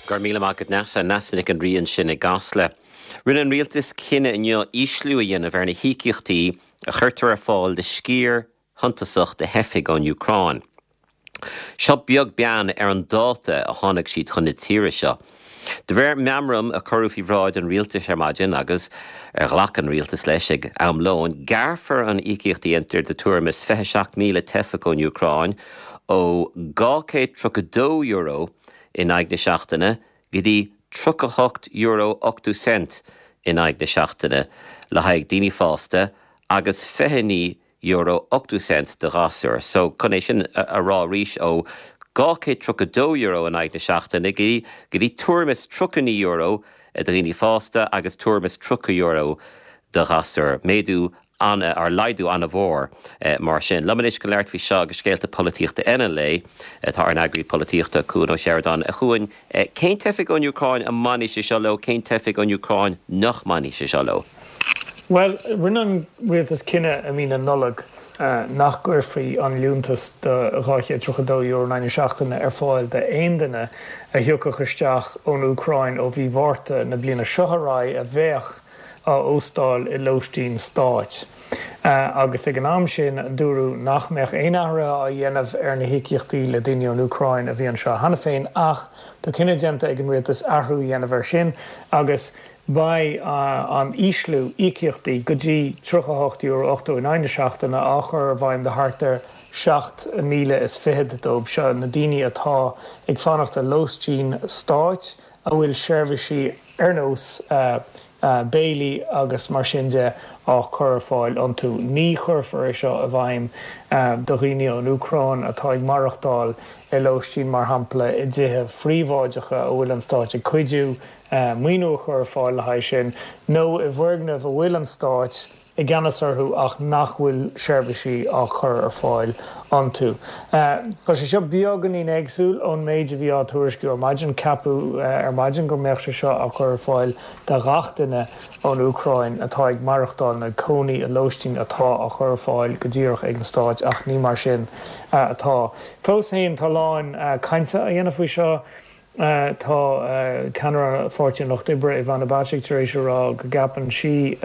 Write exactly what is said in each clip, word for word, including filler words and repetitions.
Go raibh míle maith agat Neasa Neasa Nic an Rí ansin i gCasla. Rinne an rialtas cinneadh inniu ísliú a dhéanamh ar na híocaíochtaí a chuirtear ar fáil do sciar shuntasach de theifigh ón Úcráin. Seo beag beann ar an dáta a tháinig siad chun na tíre seo. De réir meamram a cuireadh faoi bhráid an rialtais ar maidin agus ar ghlac an rialtas leis ag am lóin, gearrfar an íocaíocht a dhéantar do tuairim is fiche seacht míle teifeach ón Úcráin ó dhá chéad tríocha dó euro in aghaidh na seachtaine go dtí tríocha hocht euro ochtó cent in aghaidh na seachtaine le haghaidh daoine fásta agus fiche naoi euro ochtó cent do ghasúir. So chun é sin a rá arís ó dhá chéad tríocha dó euro in aghaidh na seachtaine go dtí go dtí tuairim is tríocha naoi euro do dhaoine fásta agus tuairim is tríocha euro do ghasúir. Méadú an ar laghdú an-mhór mar sin. Liom anois go labhairt faoi seo agus scéalta polaitíochta eile an lae atá ár n-eagraí polaitíochta Cuan Ó Seireadáin a Chuain. Cén teifigh ón Úcráin a mbainfidh sé seo leo, cén teifigh ón Úcráin nach mbainfidh sé seo leo? Bhuel, rinne an rialtas cinneadh i mí na Nollag nach gcuirfí an liúntas de dhá chéad tríocha dó euro in aghaidh na seachtaine ar fáil d'aon duine a thiocfadh isteach ón Úcráin ó mhí Mhárta na bliana seo ar aghaidh a bheadh á óstáil i lóistín stáit. Agus ag an am sin, dúradh nach mbeadh aon athruithe á dhéanamh ar na híocaíochtaí le daoine ón Úcráin a bhí anseo cheana féin ach tá cinneadh déanta ag an rialtas athrú a dhéanamh air sin agus beidh an ísliú íocaíochtaí go dtí tríocha a hocht euro ochtó in aghaidh na seachtaine á chur i bhfeidhm do thart ar seacht míle is fichead dóibh seo, na daoine atá ag fanacht i lóistín stáit a bhfuil seirbhísí ar nós béilí agus mar sin de á chur ar fáil iontu. Ní chuirfear é seo i bhfeidhm do dhaoine ón Úcráin atá ag maireachtáil i lóistín, mar shampla, i dtithe phríobháideacha a bhfuil an Stát ag cuidiú maoiniú a chur ar fáil le haghaidh sin, nó i bhfoirgnimh a bhfuil an Stát i gceannas orthu ach nach bhfuil seirbhísí á chur ar fáil iontu. Tá sé seo beagáinín éagsúil ón méid a bhí á tuairisciú ar maidin. Ceapadh ar maidin go mbeadh sé seo á chur ar fáil do ghach duine ón Úcráin atá ag maireachtáil nó ag cónaí i lóistín atá á chur ar fáil go díreach ag an Stát ach ní mar sin atá. Fós féin tá a lán cainte á dhéanamh faoi seo. Tá ceannaire Pháirtí an Lucht Oibre, Ivana Bacik, tar éis a rá go gceapann sí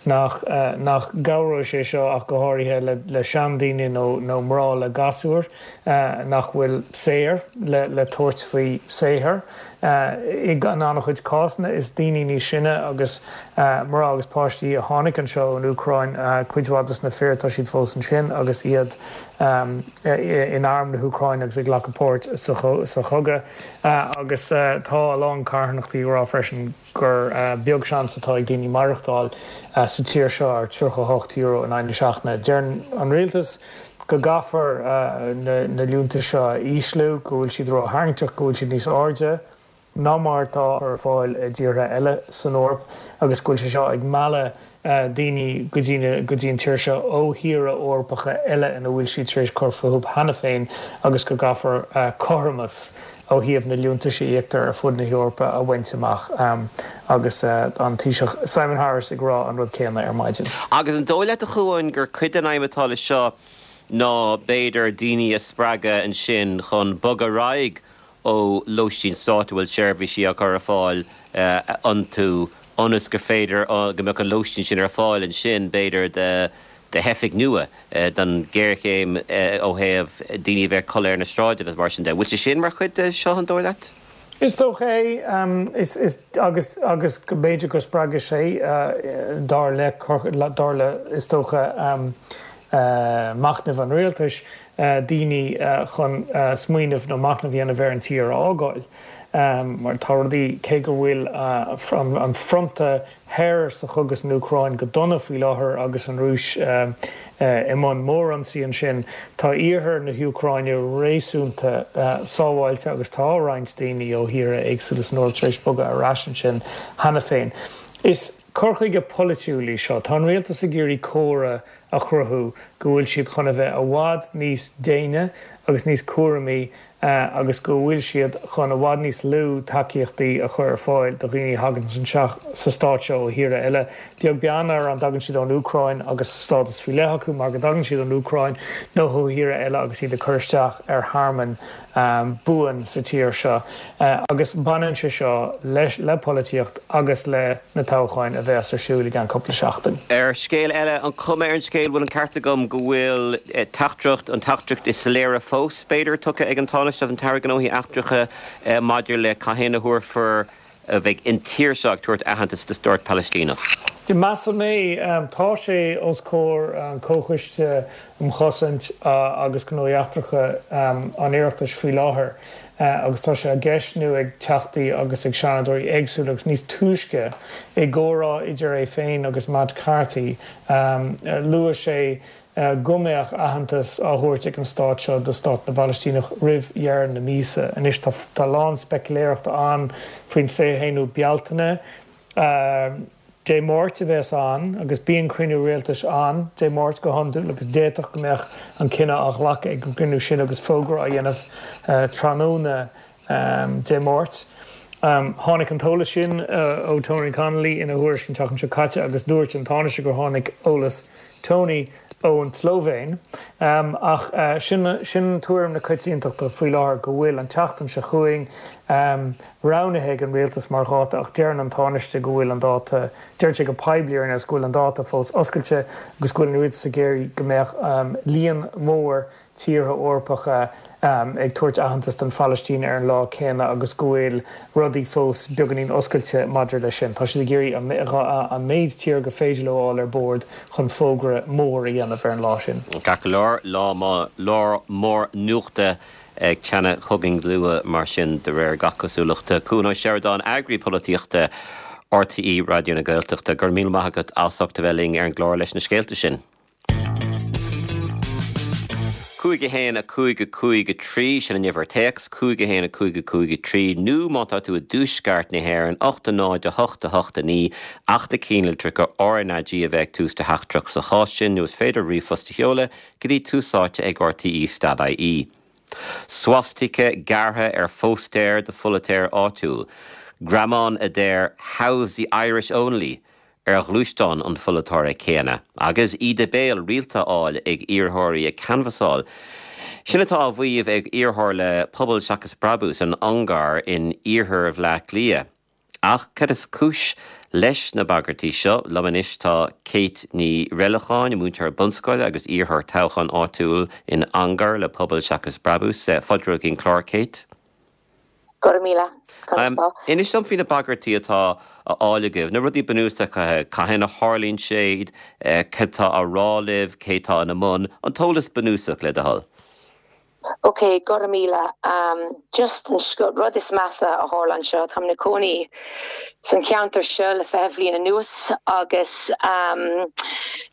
nach nach gcabhróidh sé seo ach go háirithe le le seandaoine nó nó mná le gasúir nach bhfuil saor le le tabhairt faoi saothar. I an-chuid cásanna is daoine níos sine agus mná agus páistí a tháinig anseo ón Úcráin, cuid mhaith de na fir tá siad fós ansin agus iad in arm na hÚcráine agus ag glacadh páirt sa chogadh agus tá a lán carthanachtaí ag rá freisin gur beag seans atá ag daoine maireachtáil sa tír seo ar tríocha a hocht euro in aghaidh na seachtaine. Deir an rialtas go gcaithfear na liúntais seo a ísliú, go bhfuil siad rótharraingteach, go bhfuil siad níos airde ná mar atá ar fáil i dtíortha eile san Eoraip agus go bhfuil sé seo ag mealladh daoine go dtí go dtí an tír seo ó thíortha Eorpacha eile ina bhfuil siad tar éis cur fúthu cheana féin agus go gcaithfear cothromas ó thaobh na liúntais a íoctar ar fud na hEorpa a bhaint amach agus an Taoiseach Simon Harris ag rá an rud céanna ar maidin. Agus an dóigh leat a Chuain gur cuid den aidhm atá leis seo ná b'fhéidir daoine a spreagadh ansin chun bogadh ar aghaidh ó lóistín stáit a bhfuil seirbhísí á gcur ar fáil iontu ionas gur féidir go mbeadh an lóistín sin ar fáil ansin b'fhéidir do theifigh nua, don ghéarchéim ó thaobh daoine a bheith ag codladh ar na sráideanna agus mar sin de. Bhfuil sé sin mar chuid de seo, an dóigh leat? Is dócha é, is, is, agus, agus go mb'fhéidir go spreagfaidh sé, dar le, dar le, is dócha, machnamh an rialtais, daoine chun smaoineamh nó machnamh a dhéanamh ar an tír a fhágáil. Mar tá rudaí, cé go bhfuil an fronta thoir sa chogadh san Úcráin go dona faoi láthair agus an Rúis i mbun mórionsaí ansin, tá iarthar na hÚcráine réasúnta sábháilte agus tá roinnt daoine ó thíortha éagsúla san Eoraip tar éis bogadh ar ais ansin cheana féin. Is cur chuige polaitiúil í seo. Tá an rialtas ag iarraidh comhartha a chruthú go bhfuil siad chun a bheith i bhfad níos déine agus níos cúramaí agus go bhfuil siad chun i bhfad níos lú tacaíochtaí a chur ar fáil do dhaoine a thagann isteach sa stát seo ó thíortha eile. Beag beann ar an dtagann siad ón Úcráin agus stádas faoi leith acu mar go dtagann siad ón Úcráin nó ó thíortha eile agus iad ag cur isteach ar thearmann buan sa tír seo. Agus baineann sé seo leis le polaitíocht agus le na toghcháin a bheas ar siúl i gceann cúpla seachtain. Ar scéal eile, an cuma ar an scéal, bhfuil an ceart agam go bhfuil teachtaireacht, an teachtaireacht is soiléire fós, b'fhéidir, tugtha ag an Tánaiste an tAire Gnóthaí Eachtracha maidir le cathain a thabharfar a bheidh an tír seo ag tabhairt aitheantas do stát Palaistíneach? Measaim é, tá sé os comhair an Comhchoiste um Chosaint agus Gnóthaí Eachtracha an Oireachtais faoi láthair agus tá sé á gceistniú ag Teachtaí agus ag Seanadóirí éagsúla agus níos túisce i gcomhrá idir é féin agus Matt Carthy luaigh sé go mbeadh aitheantas á thabhairt ag an stát seo do stát na bPalaistíneach roimh dheireadh na míosa. Anois tá a lán speicealéireachta ann faoin fiche haonú Bealtaine. Dé Máirt a bheas ann agus bíonn cruinniú rialtais ann Dé Máirt go hiondúil agus d'fhéadfadh go mbeadh an cinneadh á ghlacadh ag an gcruinniú sin agus fógra á dhéanamh tráthnóna Dé Máirt. Tháinig an t-eolas sin ó Tony Connolly ina thuairisc an tseachtain seo caite agus dúirt an Tánaiste gur tháinig eolas Tony ón tSlóivéin. Ach sin sin tuairim na coitiantachta faoi láthair go bhfuil an tseachtain seo chugainn roghnaithe ag an rialtas mar dháta ach deireann an Tánaiste go bhfuil an dáta, deireann sé go poiblí ar nós go bhfuil an dáta fós oscailte agus go bhfuil an rialtas ag iarraidh go mbeadh líon mór tíortha Eorpacha ag tabhairt aitheantas don Phalaistín ar an lá céanna agus go bhfuil rudaí fós beagáinín oscailte maidir leis sin. Tá siad ag iarraidh an méid tír gur féidir leo a fháil ar bord chun fógra mór a dhéanamh ar an lá sin. Ceart go leor, lá lá mór nuachta ag teannadh chugainn go luath mar sin de réir gach cosúlachta. Cuan Ó Seireadáin, Eagraí Polaitíochta RTÉ Raidió na Gaeltachta, go raibh míle maith agat as ucht a bheith linn ar an gclár leis na scéalta sin. Cúig a haon a cúig a cúig a trí, sin an uimhir téacs, cúig a haon a cúig a cúig a trí, nó má tá tú i dtuaisceart na hÉireann, ocht a náid a hocht a hocht a naoi, ach na cinnlitreacha RnaG a bheith ag tús do theachtaireacht sa chás sin, nó is féidir ríomhphost a sheoladh go dtí túsáite ag RTE dot ie. Swastika gearrtha ar phóstaer do pholaiteoir áitiúil. Greamán a deir 'How's the Irish Only? ar ghluaisteán an pholaiteora céanna, agus íde béil rialta á fháil ag iarrthóirí ag canbhasáil. Sin atá á mhaíomh ag iarrthóir le Pobal Seachas Brabús in Ongar in iarthar Bhaile Átha Cliath. Ach cad is cúis leis na bagairtí seo? Liom anois tá Kate Ní Raileacháin, múinteoir bunscoile agus iarrthóir toghcháin áitiúil in Ongar le Pobal Seachas Brabús. Fáilte chuig an chlár, Kate. Go raibh míle. Conas tá? Inis dom faoi na bagairtí atá á fháil agaibh, na rudaí bunúsacha, cathain a tharlaíonn siad, cad tá á rá libh, cé tá ina mbun, an t-eolas bunúsach le do thoil. Ok, go raibh míle. Just an rud is measa a tharla anseo, táim ina cónaí san cheantar seo le fiche bhliain anuas agus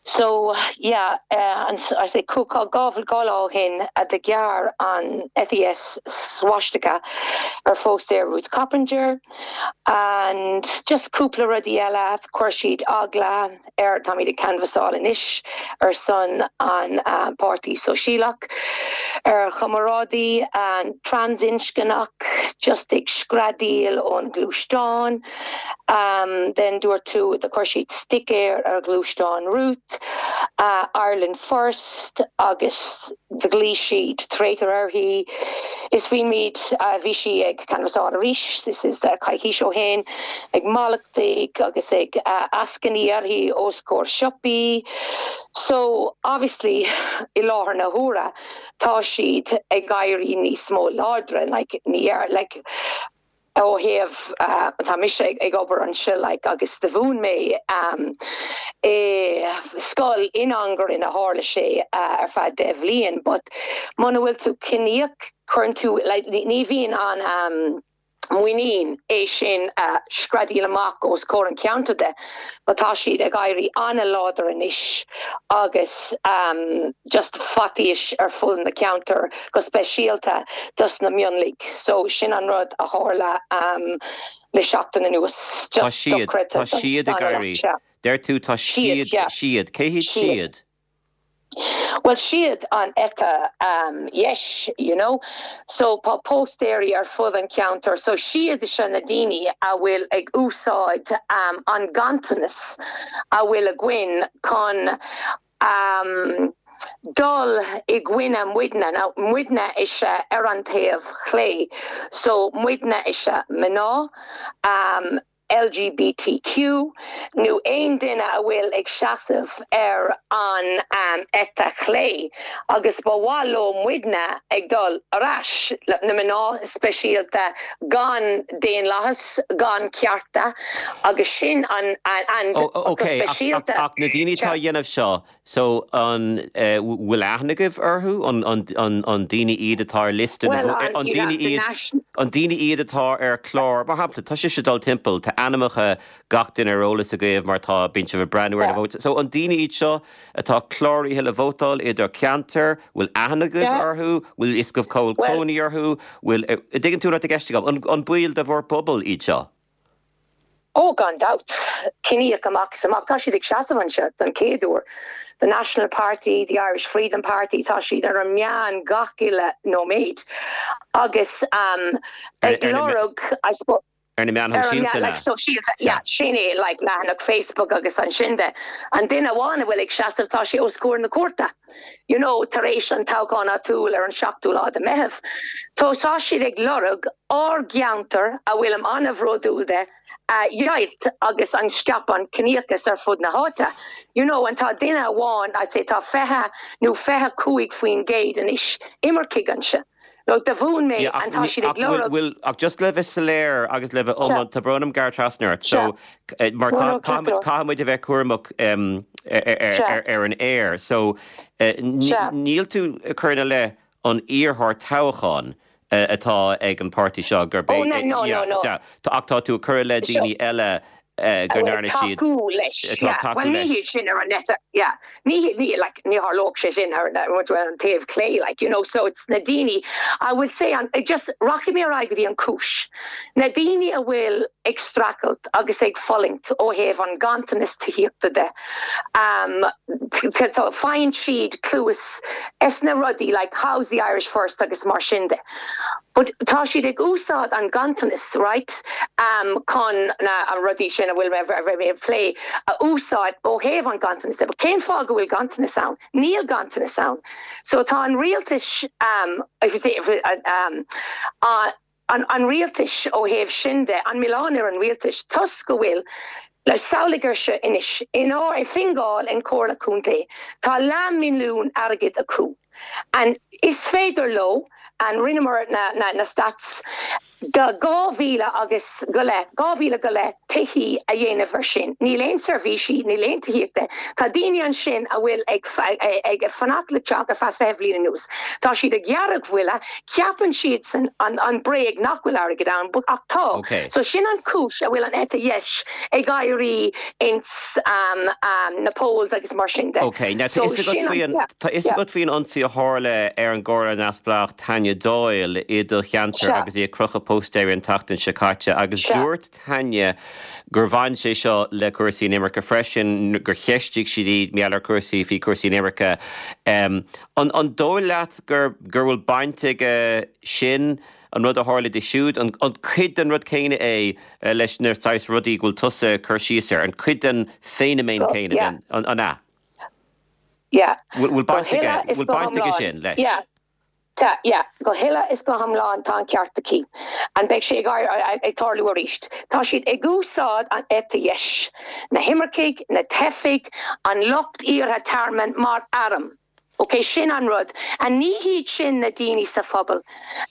so yeah an I say dhá dhá lá ó shin do ghearr an FES swastika ar phóstaer Ruth Coppinger and just cúpla rudaí eile chuir siad eagla ar táimid ag canbhasáil anois ar son an Páirtí Sóisialach ar chomrádaí an transinscneach just ag screadaíl ón gluaisteán um, then dúirt tú do chuir siad sticéir ar ghluaisteán Ruth uh, Ireland First agus do ghlaoigh siad traitor uirthi is bhí uh, bhí sí ag canbhasáil arís this is uh, coicís ó shin ag mallachtaigh agus ag uh, eascainí uirthi os comhair siopaí so obviously i láthair na huaire tá siad ag éirí níos mó láidre like ní like ó thaobh uh, tá mise ag, ag obair anseo like, agus do mhúin mé um, i scoil in Ongar ina tharla sé uh, ar feadh deich bhliain, but muna bhfuil tú ciníoch cuireann tú like, ní, ní bhíonn an um, muinín é sin uh, screadaíl amach os comhair an ceantar de, but tá siad ag éirí an-láidir anois agus um, just faitíos ar fud na ceantar go speisialta dos na mionlaigh. So sin an rud a tharla um, le seachtain anuas. Tá siad tá siad ag éirí. Deir tú tá siad siad cé hiad siad? Well siad an eite um, dheis you know so tá póstaerí ar fud an ceantar so siad sin na daoine a bhfuil ag úsáid um, an ganntanas a bhfuil againn chun um, dul i gcoinne muidne now muidne is ea ar an taobh chlé so muidne is ea mná um, LGBTQ nó aon duine a bhfuil ag seasamh ar an um, eite chlé agus ba mhaith leo muidne ag dul ar ais na mná speisialta gan daonlathas gan cearta agus sin an an, an oh, okay, speisialta ach, ach na daoine atá dhéanamh seo so an eh, bhfuil aithne agaibh orthu an an an an daoine iad atá ar liosta well, an daoine iad an daoine iad atá ar chlár mar shampla tá sé dul timpeall tá ainmneacha gach duine ar eolas agaibh mar tá bíonn sibh ag breathnú ar na vótaí. So an daoine iad seo atá cláraithe le vótáil i do cheantar, bhfuil aithne agaibh orthu, bhfuil fhios agaibh cá bhfuil cónaí orthu, bhfuil eh, dtuigeann tú atá i gceist agam an an baill de bhur bpobal iad seo. Ó gan dabht ciníoch amach is amach tá siad ag seasamh anseo don chéad uair. The National Party, the Irish Freedom Party tá siad ar an meán gach uile nóiméad. Agus um, ag lorg ar na meáin shóisialta sin é like leathanach Facebook agus ansin de. An duine amháin a bhfuil ag seasamh tá sé os comhair na cúirte. You know, tar éis an toghchán áitiúil ar an seachtú lá de Mheitheamh. Tá tá siad ag lorg ár gceantar a bhfuil am an-bhródúil de a dheighilt agus an scaipeadh an ciníochas ar fud na háite. You know, an tá duine amháin a sé tá fiche nó fiche cúig faoin gcéad anois imircigh anseo. No de bhún mé an tá siad ag lorg Bhfuil ach just le bheith soiléir agus le bheith iomlán tá brón orm gearradh trasna ort so eh, mar caithfimid a bheith cúramach ar an air so eh, níl tú cur na le an iarrthóir toghcháin eh, atá ag an páirtí seo gur oh, no, no, no. ach tá tú cur le daoine eile gur ndearna siad Well ní hiad sin ar an eite yeah ní ní like ní tharlódh sé sin ar an taobh clé like you know so it's na daoine I will say an just rachaidh mé ar aghaidh go dtí an cúis na daoine a bhfuil ag streachailt agus ag fulaingt ó thaobh an ganntanas tithíochta de um faigheann siad cluas es na rudaí like house the Irish first agus mar sin de But tá siad ag úsáid an ganntanas right um chun na an rudaí sin a bhfuil mé ag plé a úsáid ó thaobh an ganntanas de, but cén fáth go bhfuil ganntanas ann níl ganntanas ann so tá an rialtas um, um, uh, an, an rialtas ó thaobh sin de an milleán ar an rialtas toisc go bhfuil le samhlaigh seo anois in ár i Fingal in Comhairle Contae tá leath milliún airgid acu and is féidir leo an rinneamar na, na, na stats go dhá mhíle agus go leith dhá mhíle go leith tithí a dhéanamh ar sin. Níl aon seirbhísí níl aon tithíochta Tá daoine ansin a bhfuil ag ag fanacht le teach ar feadh fiche bliain anuas. Tá siad ag gearradh buille ceapann siad san an, an bréag nach bhfuil airgead ann ach tá. Okay. So sin an cúis a bhfuil an eite dheis ag éirí ins um, um, na polls agus mar sin de. Ok, now tá fhios agat faoin ionsaí a tharla ar an gcomhairleoir neamhspleách Tanya Doyle i do cheantar agus í ag crochadh póstaerí an tseachtain seo caite agus dúirt Tanya gur bhain sé seo le cúrsaí imirce freisin gur cheistigh siad í maidir le cúrsaí faoi cúrsaí imirce. Um, an, an dóigh leat gur gur bhfuil baint aige sin an rud a tharla di siúd an, an cuid den rud céanna é uh, leis na saghas rudaí go bhfuil tusa cur síos ar an cuid den feiniméan céanna den an, an ea. Yeah. Bhfuil baint aige sin leis. Yeah. Tá yeah, go huile is go hiomlán tá an ceart aici. An beidh sé ag tarlú arís. Tá siad ag úsáid an eite dheis. Na himircigh, na teifigh, an lucht iarrtha tearmainn mar arm. Ok, sin an rud. An ní hiad sin na daoine sa phobal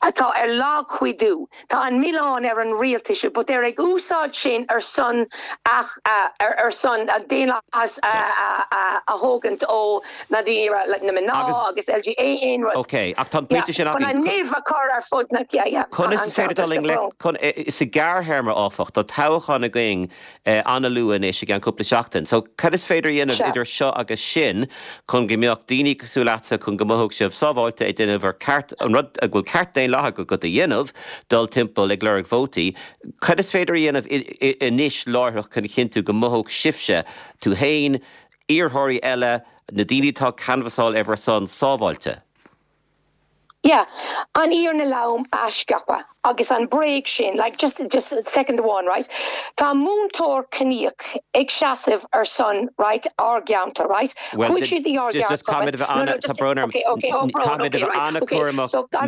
atá ar lagchuidiú. Tá an milleán ar an rialtas, but ar ag úsáid sin ar son ach uh, ar, ar son a daonlathas a, a, a, a thógaint ó na daoine like, na mná agus LGA aon rud. Ok, ach tá pointe sin Chun an nimh a chur ar fud na yeah, yeah, Conas is féidir dul le chun sa ghearrthéarma áfach tá toghchán againn an-luath anois i gceann cúpla seachtain. So cad is féidir dhéanamh idir seo agus sin chun go mbeadh daoine cosúil leatsa chun go mothódh sibh sábháilte ag déanamh ar ceart an rud a bhfuil ceart daonlathach agat a dhéanamh dul timpeall ag lorg vótaí. Cad is féidir dhéanamh anois láithreach chun cinntiú go mothódh sibhse tú féin iarrthóirí eile na daoine atá ag canbhasáil ar bhur son sábháilte. Yeah, an fhírinne lom a scaipeadh agus an bréag sin, like just just second one, right? Tá múinteoir ciníoch ag seasamh ar son, right, ár gceantar, right? Well, just caithfidh tá brón an-chúramach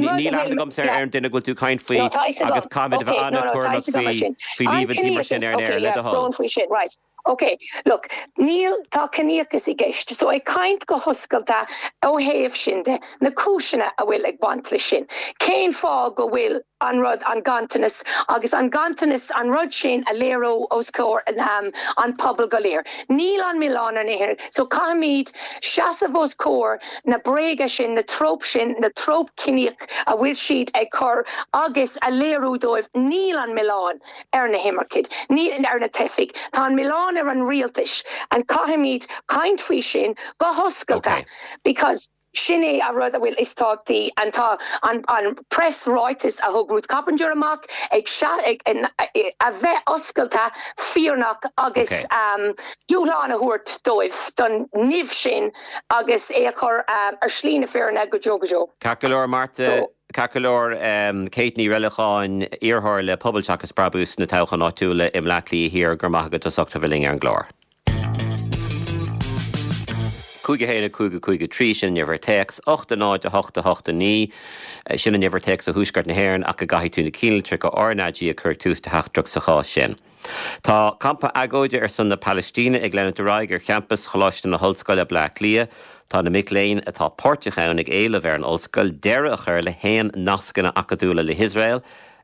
níl aithne agamsa ar an duine go bhfuil tú ag caint faoi agus caithfidh a bheith an-chúramach faoi faoi líomhaintí mar sin ar an aer le do thoil. faoi sin, right. Ok, look, níl tá ciníochas i gceist, so ag caint go hoscailte ó thaobh sin de na cúiseanna a bhfuil ag baint leis sin. Cén fáth go bhfuil an rud an ganntanas agus an ganntanas an rud sin a léiriú os comhair um, an pobal go léir. Níl an milleán ar na so caithfimid seasamh os comhair na bréige sin na trope sin na trope ciníoch a bhfuil siad ag cur agus a léiriú dóibh níl an milleán ar na himircigh, níl ar na teifigh. Tá an milleán ar an rialtas and caithfimid caint faoi sin go hoscailte Okay. because sin é a rud a bhfuil is tábhachtaí an tá an, an press ráiteas a thug Ruth Coppinger amach ag se ag an, a bheith oscailte fírinneach agus Okay. um, dúshlán a thabhairt dóibh don nimh sin agus é a chur um, ar shlí na fírinne go deo go deo. Ceart go leor Marta So- Ceart go leor um, Kate Ní Riallacháin iarrthóir le Pobal Seachas Brabús sna toghcháin áitiúla i mBleá Cliath Thiar go raibh maith agat as ucht a bheith linn ar an gclár. Cúig a haon cúig cúig trí sin uimhir téacs ocht a náid a hocht a hocht a naoi sin an uimhir téacs i dtuaisceart na hÉireann ach go gcaithfidh tú na ceannlitreacha RnaG a chur tús teachtaireacht sa chás sin. Tá campa agóide ar son na Palaistíne ag leanúint ar aghaidh ar champas Choláiste na hOllscoile Bleá Cliath, Tá na mic léinn atá páirteach ann ag éileamh ar an ollscoil deireadh a chur le haon nascanna acadúla le hIosrael,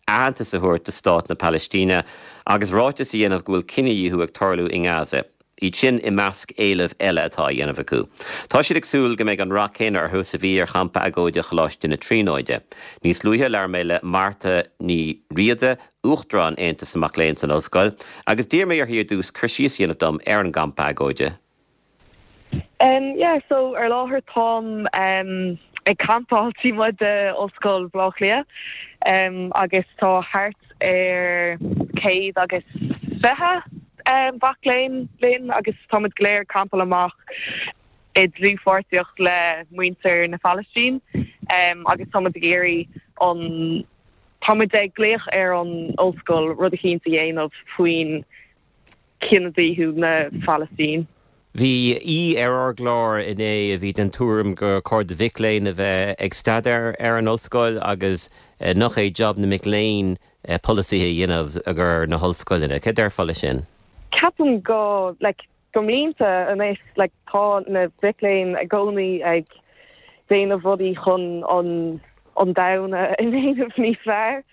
aitheantas a thabhairt do stát na Palaistíne, agus ráiteas a dhéanamh go bhfuil cinedhíothú ag tarlú i nGaza. Iad sin i measc éileamh eile atá á dhéanamh acu. Tá siad ag súil go mbeidh an rath céanna orthu is a bhí ar champa agóide Choláiste na Tríonóide. Níos luaithe labhair mé le Marta Ní Riada, Uachtarán Aontas na Mac Léinn san ollscoil, agus d'iarr mé uirthi ar dtús cur síos a dhéanamh dom ar an gcampa agóide. Um, yeah, so ar láthair táim um, ag campáil taobh amuigh de Ollscoil Bhaile Átha Cliath um, agus tá thart ar céad agus fiche um, mac léinn linn agus táimid go léir campáil amach i dlúthpháirtíocht le muintir na Palaistín um, agus táimid ag iarraidh an táimid ag glaoch ar an ollscoil rud éicint a dhéanamh faoin cinedhíothú na Palaistín. Bhí í ar ár gclár inné a bhí den tuairim gur chóir do mhic léinn a bheith ag staidéar ar an ollscoil agus eh, nach é job na mic léinn eh, polasaithe a dhéanamh agur na hollscoileanna. Cad déarfá leis sin? Ceapaim go like, go mblianta anois like, tá na mic léinn i gcónaí ag déanamh rudaí chun an an domhan a dhéanamh níos fearr.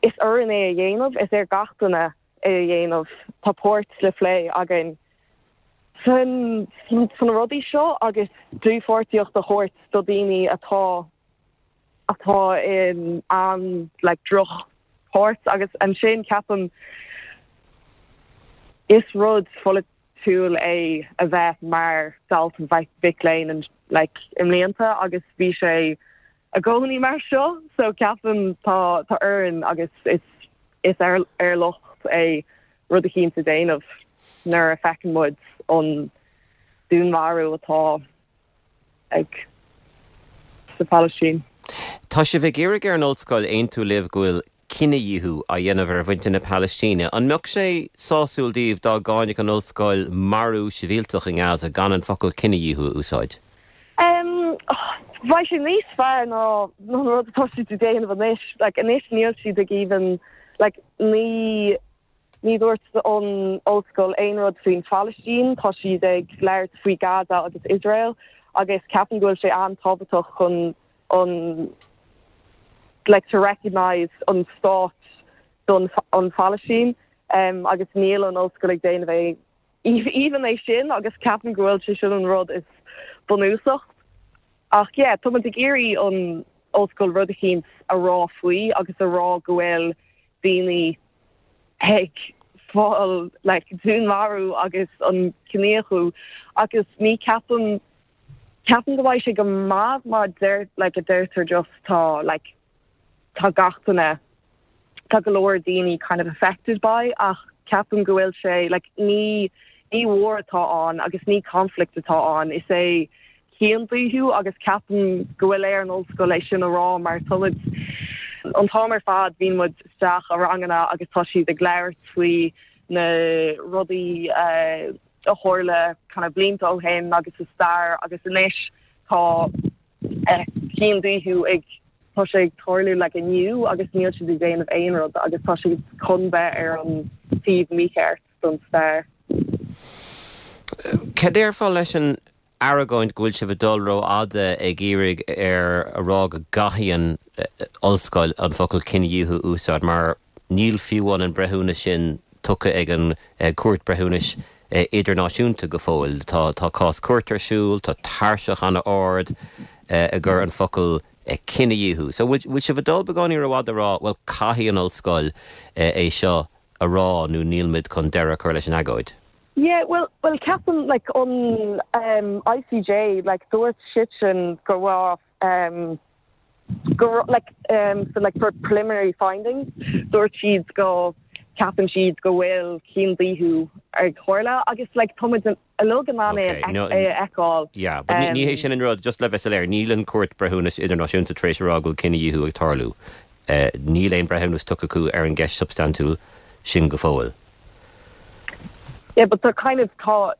Is orainn é a dhéanamh is ar gach duine é a dhéanamh tá páirt le plé againn san san rudaí seo agus dlúthpháirtíocht a thabhairt do daoine atá atá in an like drochpháirt agus ansin ceapaim is rud polaitiúil é a bheith mar dalta mhic léinn and like i mblianta agus bhí sé i gcónaí mar seo so ceapaim tá tá orainn agus is is ar ar locht é rud éicint a dhéanamh nuair a fheiceann muid an dúnmharú atá ag sa Phalaistín. Tá sibh ag iarraidh ar an ollscoil aontú libh go bhfuil cinedhíothú á dhéanamh ar mhuintir na Palaistíne. An mbeadh sé sásúil daoibh dá gcáinfeadh an ollscoil marú sibhialtach i nGaza gan an focal cinedhíothú a úsáid? Um, Bheadh sé níos fearr ná ná rud atá siad ag déanamh anois like anois níl siad ag even like ní ní dúirt an ollscoil aon rud faoin Phalaistín tá siad ag labhairt faoi Gaza agus Israel agus ceapaim go bhfuil sé an-tábhachtach chun an like to recognize an stát don an Phalaistín um, agus níl an ollscoil ag déanamh é even é sin agus ceapaim go bhfuil sé sin an rud is bunúsach ach yeah, tá ag iarraidh an ollscoil rud éicint a rá faoi agus a rá go bhfuil daoine ag fáil like dúnmharú agus an cinedhíothú agus ní ceapaim ceapaim go bhfuil sé go maith má deir like a deirtear just tá like tá gach duine tá go leor daoine kind of affected by ach ceapaim go bhfuil sé like ní ní war atá ann agus ní conflict atá ann is é cinedhíothú agus ceapaim go bhfuil ar an ollscoil é sin a rá mar tá muid an t-am ar fad bíonn muid isteach i ranganna agus tá siad ag labhairt faoi na rudaí uh, a tharla kind of blianta ó shin agus sa stair agus anois tá uh, cinedhíothú ag tá sé ag tarlú like inniu agus níl siad ag déanamh aon rud agus tá siad chun bheith ar an taobh mícheart don stair. Cad déarfá leis an argóint go bhfuil sibh ag dul rófhada ag iarraidh ar a rá go gcaithfidh an ollscoil an focal cinedhíothú a úsáid mar níl fiú an breithiúnas sin tugtha ag an Cúirt Breithiúnais Idirnáisiúnta go fóill. Tá tá cás cúirte ar siúl, tá tairseach an-ard ag cur an focal cinedhíothú. So bhfuil sibh ag dul beagáinín rófhada rá well caithfidh an ollscoil é seo a rá nó nílmuid chun deireadh a chur leis an agóid. Yeah, well well ceapaim like an um, ICJ like dúirt siad sin go raibh um, go like um, so like for preliminary findings dúirt siad go ceapann siad go bhfuil cinedhíothú ag tarlú agus like tá muid uilig in ann é a fheiceáil. Yeah, but ní hé sin an rud just le bheith soiléir níl an Cúirt Breithiúnais Idirnáisiúnta tar éis a rá go bhfuil cinedhíothú ag tarlú. Uh, níl aon breithiúnas tugtha acu ar an gceist substaintiúil sin go fóill. Yeah, but they're kind of tá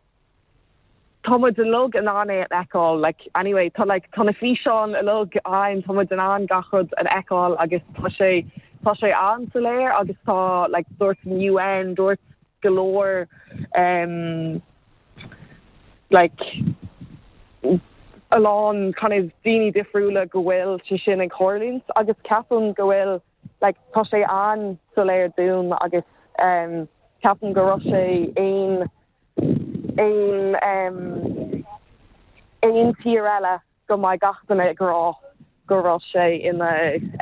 tá muid uilig in ann é a fheiceáil like anyway tá like tá na físeáin uilig ann tá muid in ann gach rud a fheiceáil agus tá sé tá sé an-soiléir agus tá like dúirt an UN dúirt go leor um, like a lán kind of daoine difriúla go bhfuil sé sin ag tarlú agus ceapaim go bhfuil like tá sé an-soiléir dúinn agus um, ceapaim go raibh sé aon aon um, aon tír eile go mbeadh gach duine ag rá go raibh sé ina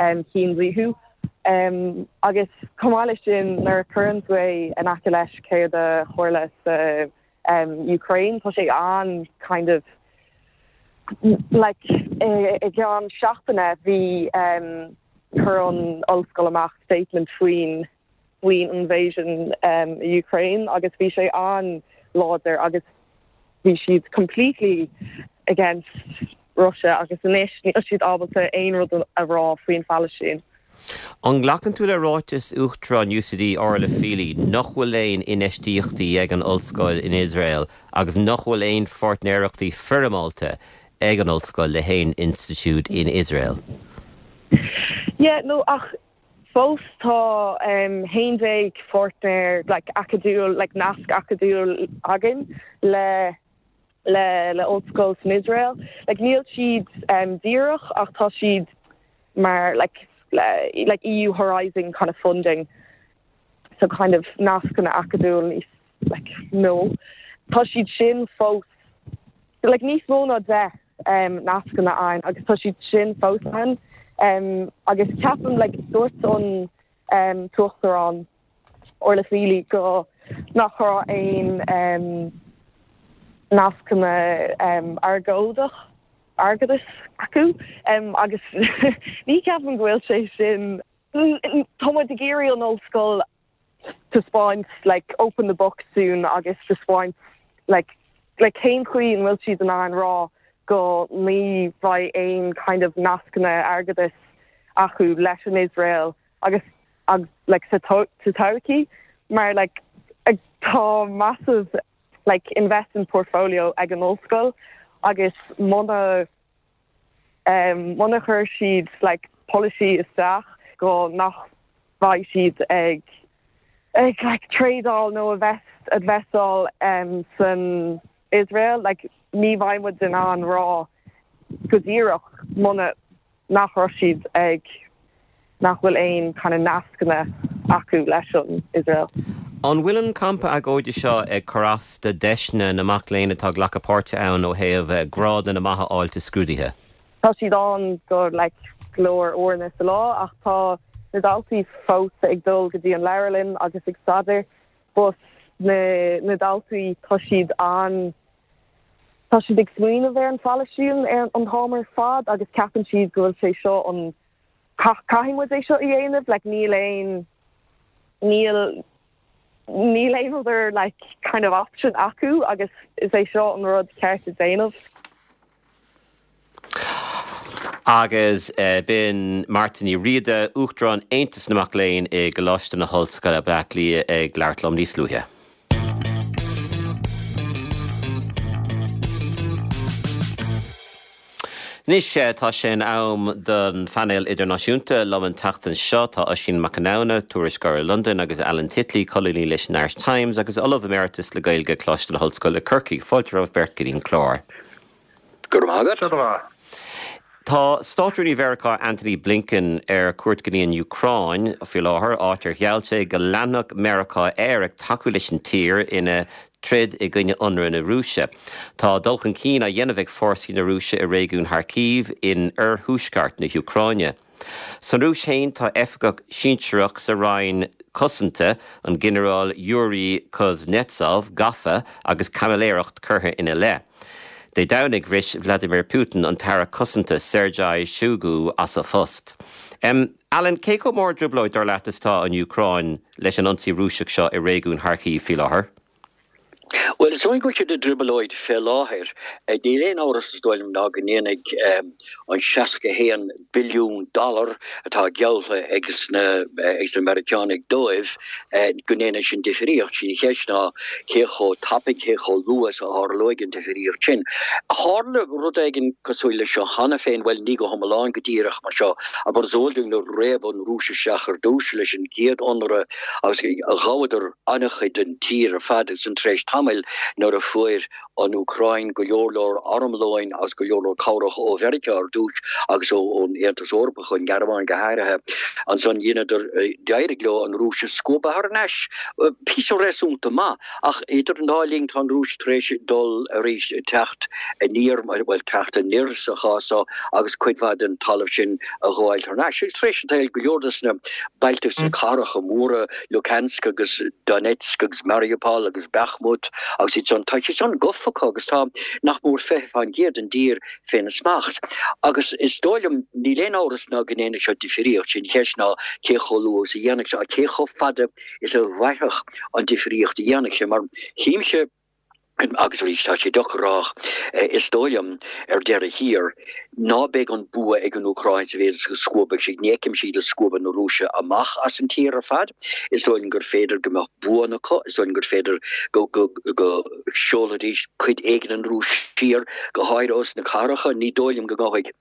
um, cinedhíothú. Um, agus chomh maith leis sin nuair a chuireann tú é in aice leis céard a tharla sa um, Ukraine tá sé an kind of like i gceann seachtaine bhí um, chuir an ollscoil amach statement faoin faoin invasion um, Ukraine agus bhí sé an-láidir agus bhí siad completely against Russia agus anois níl siad ábalta aon rud a rá faoin Phalaistín. An nglacann tú le ráiteas Uachtarán UCD Orla Feely nach bhfuil aon infheistíochtaí ag an ollscoil in Iosrael agus nach bhfuil aon pháirtnéireachtaí foirmeálta ag an ollscoil le haon institiúid in Iosrael. Yeah, no ach fós tá um, haon déag partner like, acadúil like, nasc acadúil againn le le le ollscoil san Israel. Like, níl siad um, díreach ach tá siad mar like, le, like EU Horizon kind of funding so kind of nascanna acadúil níos like no tá siad sin fós like níos mó ná deich um, nascanna ann agus tá siad sin fós ann um, agus ceapaim like dúirt an um, tUachtarán Orla Feely go nach raibh aon um, nascanna um, airgeadach airgeadais acu um, agus ní ceapaim go bhfuil sé sin tá muid ag iarraidh an ollscoil taispeáint like open the book soon agus taispeáint like like cén chaoi an bhfuil siad in ann rá go ní bheidh aon kind of nascanna airgeadais acu leis an Israel agus ag like sa todhchaí mar like ag tá massive like investment portfolio ag an ollscoil agus muna um, muna chuir siad like policy isteach go nach bheidh siad ag ag like trádáil nó invest investáil um, san Israel like ní bheidh muid in ann rá go díreach muna nach raibh siad ag nach bhfuil aon kind of nascanna acu leis an Israel. An bhfuil an campa agóide seo ag cur as do deiseanna na mac léinn atá ag glacadh páirte ann ó thaobh grádanna maithe a fháil i scrúduithe? Tá siad ann go like go leor uaireanta sa lá ach tá na daltaí fós ag dul go dtí an leabharlann agus ag staidéar but na na daltaí tá siad an tá siad ag smaoineamh ar an Phalaistín ar an t-am ar fad agus ceapann siad go bhfuil sé seo an caithfidh muid é seo a dhéanamh like níl aon níl níl aon other like kind of option acu agus is é seo an rud ceart a déanamh. Agus b'in Marta Ní Riada, Uachtarán Aontas na Mac Léinn i gColáiste na hOllscoile Baile Átha Cliath ag labhairt liom níos luaithe. Anois tá sé in am don phainéal idirnáisiúnta. Liom an tseachtain seo tá Oisín Mac Conamhna, tuairisceoir i Londain, agus Alan Titley, colúnaí leis an Irish Times agus Ollamh Emeritus le Gaeilge, Coláiste na hOllscoile, Corcaigh. Fáilte romhaibh beirt go dtí an clár. Go raibh maith agat. Tá Státrúnaí Mheiriceá Antony Blinken ar cuairt go dtí an Úcráin faoi láthair, áit ar gheall sé go leanfadh Meiriceá air ag tacú leis an tír ina troid i gcoinne ionradh na Rúise. Tá dul chun cinn á dhéanamh ag fórsaí na Rúise i réigiún Kharkiv in oirthuaisceart na hÚcráine. San Rúis féin tá oifigeach sinsearach sa Roinn Cosanta, an Ginearál Yuri Kuznetsov, gafa agus caimiléireacht curtha ina leith. Dé Domhnaigh bhris Vladimir Putin an tAire Cosanta Sergei Shoigu as a phost. Alan, cé chomh mór i dtrioblóid dar leat is atá an Úcráin leis an ionsaí Rúiseach seo i réigiún Kharkiv faoi láthair? Bhuel, is dóigh go bhfuil siad i dtrioblóid fé láthair. Níl aon amhras, is dóigh liom, ná go ndéanfaidh an seasca a haon billiún dollar atá geallta ag na Meiriceánaigh dóibh, go ndéanfaidh sin difríocht. Sí an cheist ná cé chomh tapaidh, cé chomh luath is a tharlóidh an difríocht sin. Tharla rud éigin cosúil leis seo cheana féin, bhuel, ní go hiomlán go díreach mar seo, ach mar is eol dúinn nuair a réab an Rúis isteach ar dtús leis an gcéad ionradh agus ghabhadar an-chuid den tír ar fad agus tar éis tamaill nuair a fuair an Úcráin go leor leor armlóin agus go leor leor cabhrach ó Mheiriceá ar dtús agus ón Aontas Eorpach, ón nGearmáin go háirithe, ansan dheineadar, d'éirigh leo an Rúis a scuabadh thar n-ais píosa réasúnta maith. Ach idir an dá linn tá an Rúis tar éis dul arís, teacht aniar, bhuel teacht anoir sa chás seo agus cuid mhaith den talamh sin a ghabháil thar n-ais. Agus tar éis an tsaoil go leor de na bailte agus na cathracha móra, Luhansk agus Donetsk agus Mariupol agus Bakhmut agus iad san, tá siad san gafa acu agus tá nach mór fiche fán gcéad den dtír féna smacht. Agus is dóigh liom, níl aon amhras ná go ndéanfaidh seo difríocht, sí an cheist ná cé chomh luath is a dhéanfaidh sé, cé chomh fada is a mhairfeadh an difríocht a dhéanfaidh sé, mar chímse, agus arís tá sé deacair a rá ach is dóigh liom ar deireadh thiar ná beidh an bua ag an Úcráin sa mhéad is go scuabfaidh siad, ní fheicim siad ag scuabadh na Rúise amach as an tír ar fad. Is dóigh liom gur féidir go mbeadh buanna acu, is dóigh liom gur féidir go go go seolfaidís cuid éigin den Rúis siar, go háirithe ós na cathracha. Ní dóigh liom go ngabhfaidh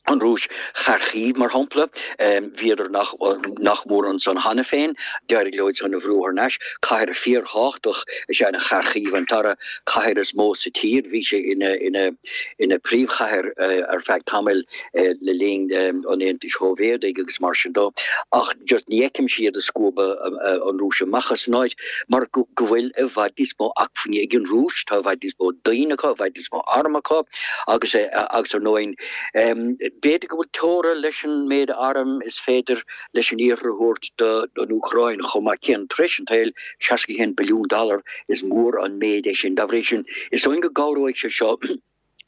an Rúis Kharkiv, mar shampla. Bhíodar nach nach mór ansan cheana féin, d'éirigh leo iad san a bhrú thar n-ais. Cathair fíorthábhachtach is ea Kharkiv, an dara cathair is mó sa tír. Bhí sé ina ina ina príomhchathair ar feadh tamaill le linn an Aontais Shóivéadaigh agus mar sin dó. Ach just ní fheicimse iad ag scuabadh an Rúis amach as an áit mar go go bhfuil i bhfad níos mó acmhainní ag an Rúis, tá i bhfad níos mó daoine acu, i bhfad níos mó arm acu agus agus ar ndóigh b'fhéidir go bhfuil teora leis an méid arm is féidir leis an Iarthar a thabhairt don Úcráin chomh maith céanna. Tar éis an tsaoil, seasca a haon billiún dollar, is mór an méid é sin. Dá bhrí sin, is dóigh go gcabhróidh sé seo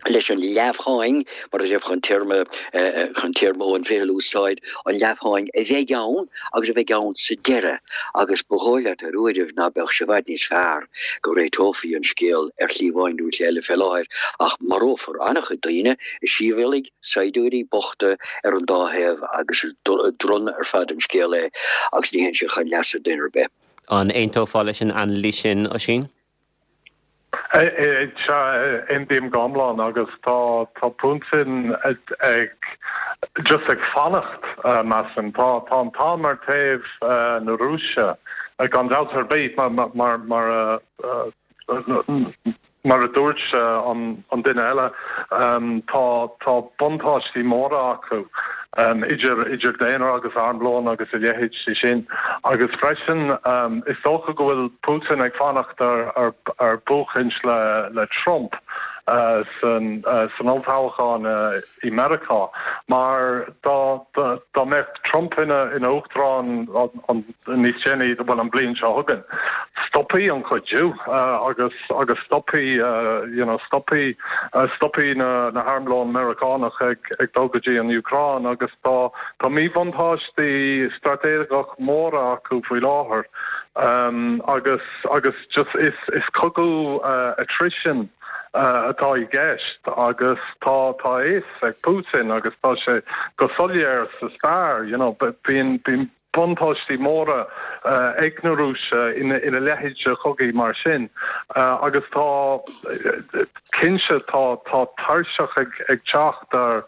leis an leamhsháinn, mar a déarfá, an téarma, an téarma Eoin Mhichíl a úsáid, an leamhsháinn a bheidh ann agus a bheidh ann sa deireadh agus ba dhóigh leat ar uairibh ná beadh sé i bhfad níos fearr go réiteofaí an scéal ar shlí amháin nó slí eile fé láthair ach marófar an-chuid daoine, sibhialaigh, saighdiúirí bochta ar an dá thaobh agus is druna ar fad an scéal é agus ní théann sé chun leasa duine ar bith. An aontófá leis an anailís sin, Oisín? Sea, aontaím go hiomlán agus tá tá Putin ag just ag fanacht, measaim. Tá tá an t-am ar taobh na Rúise gan dabht ar bith mar mar mar Mar a dúirt an duine eile, tá buntáistí móra acu, idir idir daonra agus armlón agus a leithéid de sin. Agus freisin, is dócha go bhfuil Putin ag fanacht ar ar buachaint le le Trump san san olltoghchán i Meiriceá, mar dá dá mbeadh Trump ina ina uachtarán níos déanaí, bhuel an bhliain seo chugainn, stopfaidh an cuidiú agus agus stopfaidh you know stopfaidh stopfaidh na na harmlón Meiriceánach ag ag dul go dtí an Úcráin agus tá tá míbhuntáistí straitéiseach móra acu faoi láthair. Agus agus just is is cogadh attrition atá i gceist agus tá tá a fhios ag Putin agus tá sé go soiléir sa stair, you know, bíonn bíonn buntáistí móra ag na Rúisigh ina ina leithéid de chogaí mar sin agus tá cinnte tá tá tuirseach ag ag teacht ar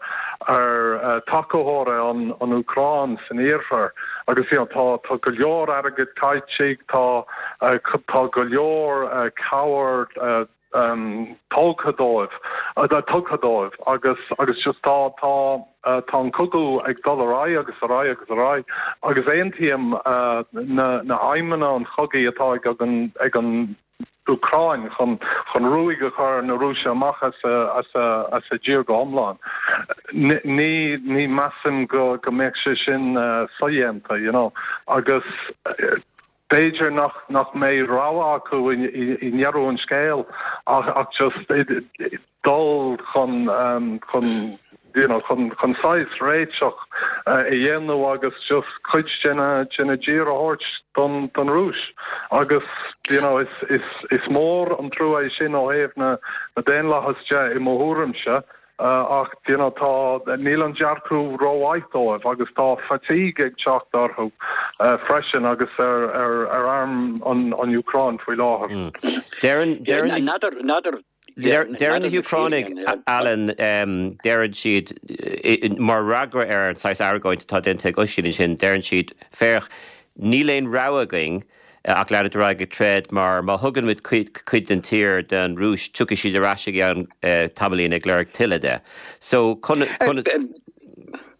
ar tacóirí an an Úcráin san iarthar agus you know, tá tá go leor airgead caite tá tá go leor cabhair um, tugtha dóibh tugtha dóibh agus agus just tá tá uh, tá an cogadh ag dul ar aghaidh agus ar aghaidh agus ar aghaidh agus aontaím uh, na na haidhmeanna an chogaidh atá ag an ag an Úcráin chun chun ruaig a chur na Rúise amach as as as a dtír go hiomlán. Ní ní measaim go go mbeidh sé sin uh, sodhéanta, you know, agus uh, b'fhéidir nach nach mbeidh rogha acu i ndeireadh an scéil ach ach just dul chun um, chun you know, chun chun saghas réiteach uh, a dhéanamh agus just cuid den den tír a thabhairt don don Rúis agus you know, is, is, is mór an trua é sin ó thaobh na na daonlathas de i mo thuairimse Uh, ach you know, tá níl an dearcadh rómhaith dóibh agus tá fatigue ag teacht orthu uh, freisin agus ar ar ar arm an an Úcráin faoi láthair. Mm. Deireann na hÚcránaigh Alan um, deireann siad mar fhreagra ar an saghas argóint atá déanta ag Oisín sin deireann siad féach níl aon rogha againn ach leanúint ar aghaidh ag troid mar má thugann muid cuid den tír don Rúis tiocfaidh siad ar ais i gceann tamaillín ag lorg tuilleadh de. So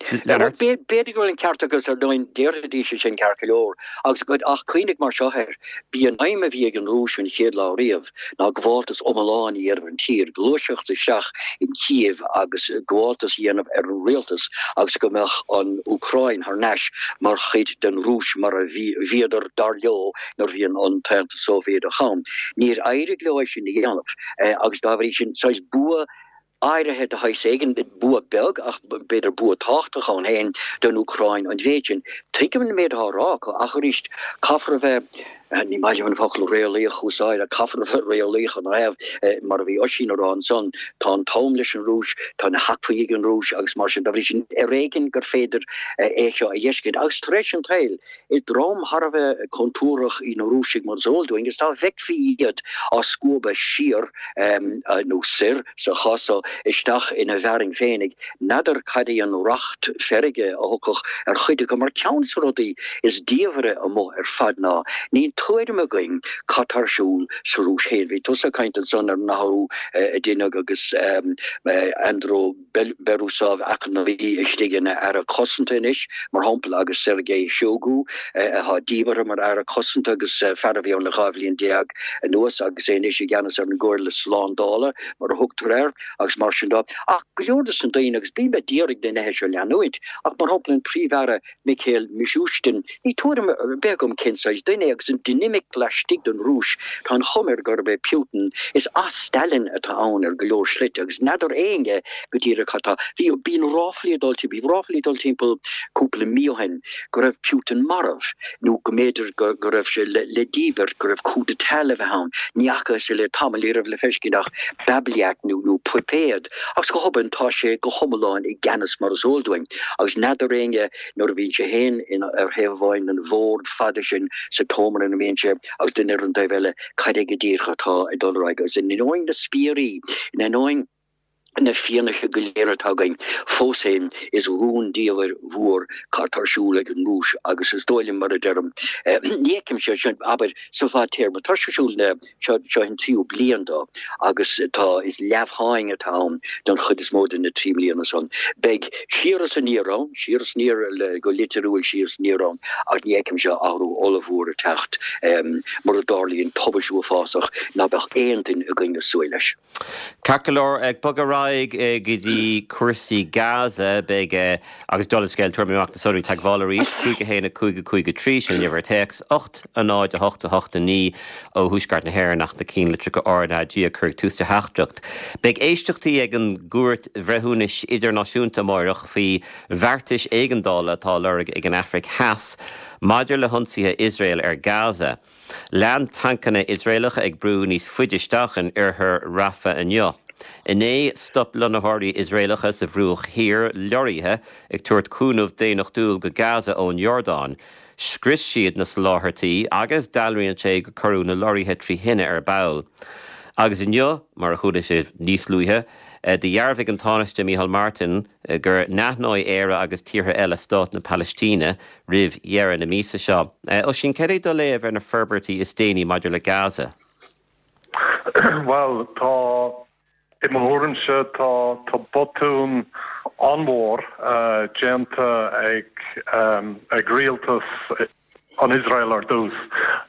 B'fhéidir go bhfuil an ceart agat ar ndóigh déarfaidís sin ceart go leor agus ach cuimhnigh mar seo air, b'í an aidhm a bhí ag an Rúis an chéad lá riamh ná gabháltas iomlán a dhéanamh ar an tír, gluaiseacht isteach in Kiev agus gabháltas a dhéanamh ar an rialtas agus go mbeadh an Úcráin thar n-ais mar chuid den Rúis mar a bhíodar dar leo nuair a bhí an tAontas Sóivéadach ann. Níor éirigh leo é sin a dhéanamh agus dá bhrí sin saghas bua áirithe de shaghas éigin, bua beag ach b'fhéidir bua tábhachtach ann féin don Úcráin an mhéid sin. Tuigim an méid atá á rá acu ach arís caithfear a bheith, ní maith liom an focal réalaíoch a úsáid ach caithfear a bheith réalaíoch ina thaobh, mar a bhí Oisín a rá ansan, tá an t-am leis an Rúis, tá na hacmhainní ag an Rúis agus mar sin dá bhrí sin ar éigean gur féidir é seo a fheiscint. Agus tar éis an tsaoil, is dream thar a bheith contúirteach iad na Rúisigh mar is eol dúinn, agus dá bhfeicfí iad á scuabadh siar nó soir sa chás so isteach ina bhfearainn féinig, n'fheadar cad é an racht feirge a thiocfadh ar chuid acu, mar ceann de na rudaí is diamhaire amuigh ar fad ná níl tuairim againn cad tá ar siúl sa Rúis féin. Bhí tusa ag caint ansan ar an athrú a deineadh agus Andrei Belousov eacnamaí istigh ina aire cosanta anois, mar shampla, agus Sergei Shoigu atá díbeartha mar aire cosanta agus fear a bhí ann le dhá bhliain déag anuas agus é anois i gceannas ar an gComhairle Slándála, mar a thugtar air, agus mar sin de. Ach go leor de na daoine, agus bím ag iarraidh na nithe seo leanúint, ach mar shampla an Príomh-Aire Mikhail Mishustin, níl tuairim ar bith agam cén saghas duine é agus an dinimic laistigh den Rúis, tá an chuma air gurb é Putin, is ath-Stalin atá ann ar go leor slite agus n'fheadar éinne go díreach cad tá. Bhí, bíonn ráflaí ag dul, bhí ráflaí ag dul timpeall cúpla mí ó shin go raibh Putin marbh nó go mb'fhéidir go, go raibh sé le, le díbirt, go raibh coup d'état le bheith ann. Ní fhacthas le tamall, ní raibh le feiscint ach Babliak nó, nó puipéad. Agus go hobann tá sé go hiomlán i gceannas mar is eol dúinn agus n'fheadar éinne nuair a bhíonn sé féin ar thaobh amháin den bhord fada sin sa tseomra ina mbíonn sé agus duine ar an taobh eile, cad é go díreach atá ag dul ar aghaidh. Agus in ainneoin na spiairí, in ainneoin na fianaise go léir atá againn, fós féin is rúndiamhair mhór cad tá ar siúl ag an Rúis agus is dóigh liom, mar a deirim, ní fheicimse sin, abair, sa bhfadtéarma. Tá sé ar siúl le Seo seo an tríú bliain dó agus tá, is leamhsháinn atá ann don chuid is mó de na trí bliana san. Beidh siar is aniar ann, siar is aniar le, go litriúil siar is aniar ann ach ní fheicimse athrú ollmhór ag teacht mura dtarlaíonn tubaist uafásach ná beadh aon duine againn ag súil leis. Ceart go leor, ag bogadh ar aghaidh. aghaidh go dtí cúrsaí Gaza, beidh agus dála an scéil tabharfaidh mé amach na sonraí teagmhála arís, cúig a haon a cúig a cúig a trí, sin an uimhir téacs, ocht a náid a hocht a hocht a naoi ó thuaisceart na hÉireann ach na cinnlitreacha R N A G a chur ag tús do theachtaireacht. Beidh éisteachtaí ag an gCúirt Bhreithiúnais Idirnáisiúnta amárach faoi bheartais éigeandála atá á lorg ag an Afraic Theas maidir le hionsaithe Iosrael ar Gaza. Lean tancanna Iosraelacha ag brú níos faide isteach in oirthear Rafah inniu. Inné, stop lonnaitheoirí Iosraelacha sa Bhruach Thiar leoraithe ag tabhairt cúnamh daonnachtúil go Gaza ón Iordáin. Scrios siad na soláthairtí agus dealraíonn sé gur cuireadh na leoraithe trí thine ar ball. Agus inniu, mar a chuala sibh níos luaithe, dhearbhaigh an Tánaiste Micheál Martin go n-aithneoidh Éire agus tíortha eile Stát na Palaistíne roimh dheireadh na míosa seo. Oisín, cad é do léamh ar na forbairtí is déanaí maidir le Gaza? Bhuel, tá, i mo thuairimse, tá, tá botún an-mhór déanta ag, ag rialtas an Iosrael ar dtús.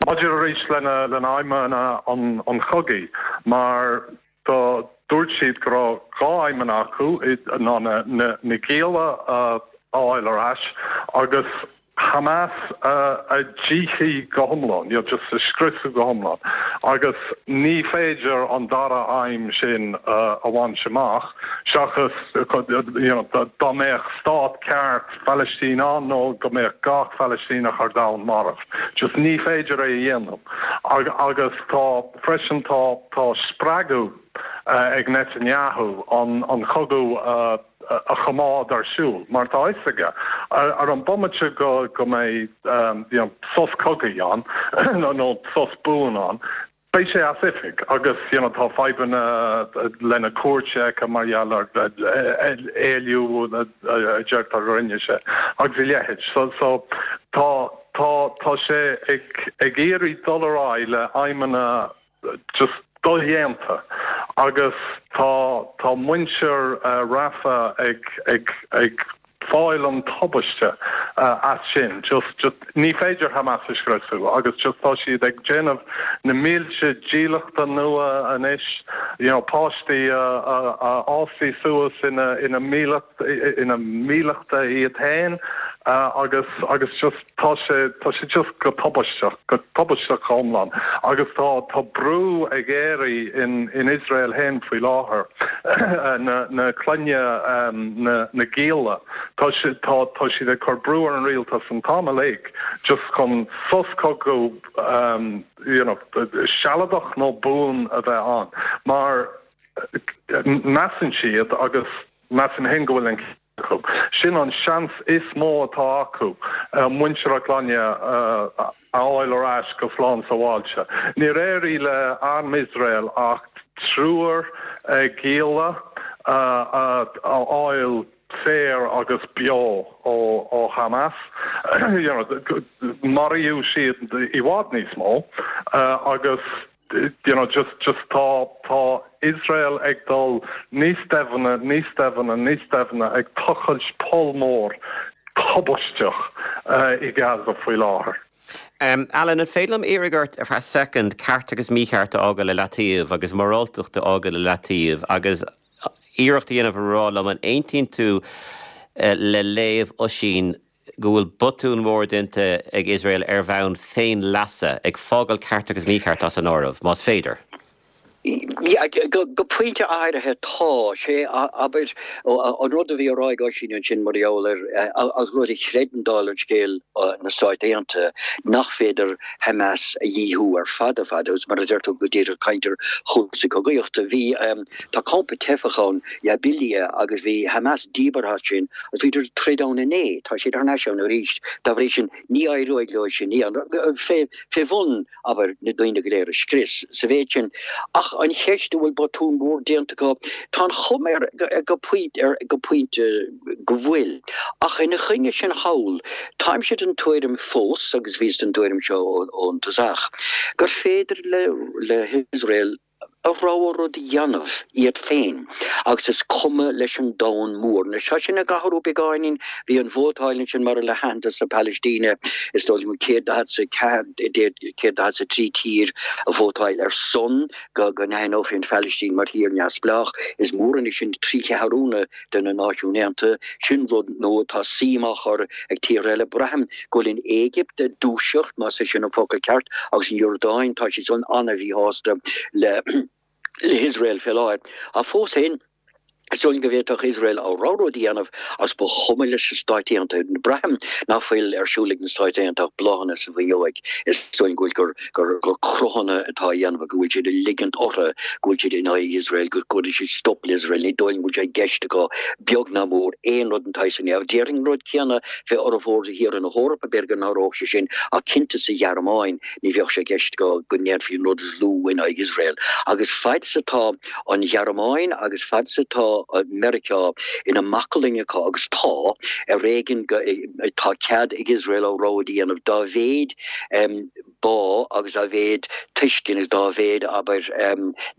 Maidir arís lena lena aidhmeanna an an chogaidh, mar do dúirt siad go raibh dhá aidhmeanna acu, ná na na na gialla a fháil ar ais agus Hamas a dhíothú go hiomlán, you know, just a scriosadh go hiomlán. Agus ní féidir an dara aidhm sin a bhaint amach seachas, you know, dá mbeadh stát ceart Phalaistín ann nó go mbeadh gach Phalaistíneach ar domhan marbh. Just ní féidir é a dhéanamh. Agus tá freisin tá tá spreagadh ag Netanyahu an an cogadh a a choimeád ar siúl, mar tá a fhios aige ar an bomaite go go mbeidh you know sos cogaidh ann nó sos buan ann, beidh sé as oifig agus you know tá fadhbanna lena cúirt aige mar gheall ar éilliú a deirtear a rinne sé agus a leithéid. So so tá tá tá sé ag ag iarraidh dul ar aghaidh le aidhmeanna just dodhéanta agus tá tá muintir Rafah ag ag ag fáil an tubaiste as sin. Just just ní féidir Hamas a scriosadh agus just tá siad ag déanamh na mílte dílleachta nua anois, you know, páistí a a a fhásfaidh suas ina ina míleacht ina mílleachta iad féin agus agus just tá sé tá sé just go tubaisteach, go tubaisteach iomlán agus tá tá brú ag éirí in in Iosrael féin faoi láthair na na clainne na na gialla tá sé tá tá siad ag cur brú ar an rialtas an t-am uilig just chun sos cogadh um, you know, sealadach nó buan a bheith ann mar measann siad agus measaim féin go bhfuil an acu. Sin an seans is mó atá acu muintir a gclainne a fháil ar ais go slán sábháilte. Níor éirigh le arm Iosrael ach triúr gialla a fháil saor agus beo ó Hamas. Maraíodh siad i bhfad níos mó agus you know, just, just tá, tá Iosrael ag dul níos doimhne, níos doimhne, níos doimhne, ag tochailt poll mór tubaisteach i Gaza faoi láthair. Um, Alan, an féidir liom iarraidh ort ar feadh soicind ceart agus mícheart a fhágáil i leataobh agus moráltacht a fhágáil i leataobh agus iarracht a dhéanamh a rá liom an aontaíonn tú le léamh Oisín go bhfuil botún mór déanta ag Iosrael ar bhonn féinleasa, ag fágáil ceart agus mícheart as an áireamh, más féidir? Go pointe áirithe tá sé, abair, an rud a bhí á rá ag Oisín ansin mar gheall ar, agus rud a chreideann dála an scéil na Stáit Aontaithe, nach féidir Hamas a dhíothú ar fad ar fad, agus mar a deir tú go díreach caint ar chúrsaí cogaíochta, bhí, tá campa teifeach ann, Jabalia, agus bhí Hamas díbeartha as sin agus bhíodar ag troid ann inné, tá siad thar n-ais ann arís, dá bhrí sin ní éireoidh leo sin, fé, fé bhun, abair, na daoine go léir a scrios sa mhéid sin. Ach an cheist an bhfuil botún mór déanta acu, tá an chuma air go pointe, go pointe go bhfuil. Ach ina choinne sin thall, táimse den tuairim fós, agus bhíos den tuairim seo ón tosach, gur féidir le, le hIosrael, a rogha rud a dhéanamh iad féin agus is cuma leis an domhan mór. Anois tá sin ag athrú beagáinín, bhí an vótáil ansin maidir le haitheantas na Palaistíne, is dóigh liom céad daichead is a ceathair, céad daichead is a trí tír a vótáil ar son go go n-aithneofaí an Phalaistín mar thír neamhspleách. Is mór anois sin trí cheathrúna de na Náisiúin Aontaithe. Sin rud nua, tá suim á chur ag tíortha eile. Braithim go bhfuil an Éigipt ag dúiseacht, más é sin an focal ceart, agus an Iordáin, tá siad san an-mhíshásta le le hIosrael fé láthair. Ach fós féin, is dóigh liom go bhféadfadh Iosrael a rogha rud a dhéanamh agus ba chuma leis na Stáit Aontaithe. Braithim nach bhfuil ar siúl ag na Stáit Aontaithe ach bláthanna sa bhfuinneoig. Is dóigh liom go bhfuil gur gur cruthanna atá á dhéanamh, go bhfuil siad ag ligint orthu go bhfuil siad in aghaidh Iosrael, go gcuirfidh siad stop le Iosrael. Ní dóigh liom go bhfuil sé i gceist acu, beag ná mór, aon rud den tsaghas sin a dhéanamh. Déarfainn an rud céanna fé fhormhór de thíortha na hEorpa, b'fhéidir go n-athródh sé sin, ach cinnte sa Ghearmáin ní bheadh sé i gceist go go ndéanfaí an rud is lú in aghaidh Iosrael. Agus fad is atá an Ghearmáin agus fad is atá Meiriceá ina mbaclainn acu, agus tá, ar éigean go, tá cead ag Iosrael a rogha a dhéanamh, dá mhéad bá agus dá mhéad tuiscint agus dá mhéad, abair,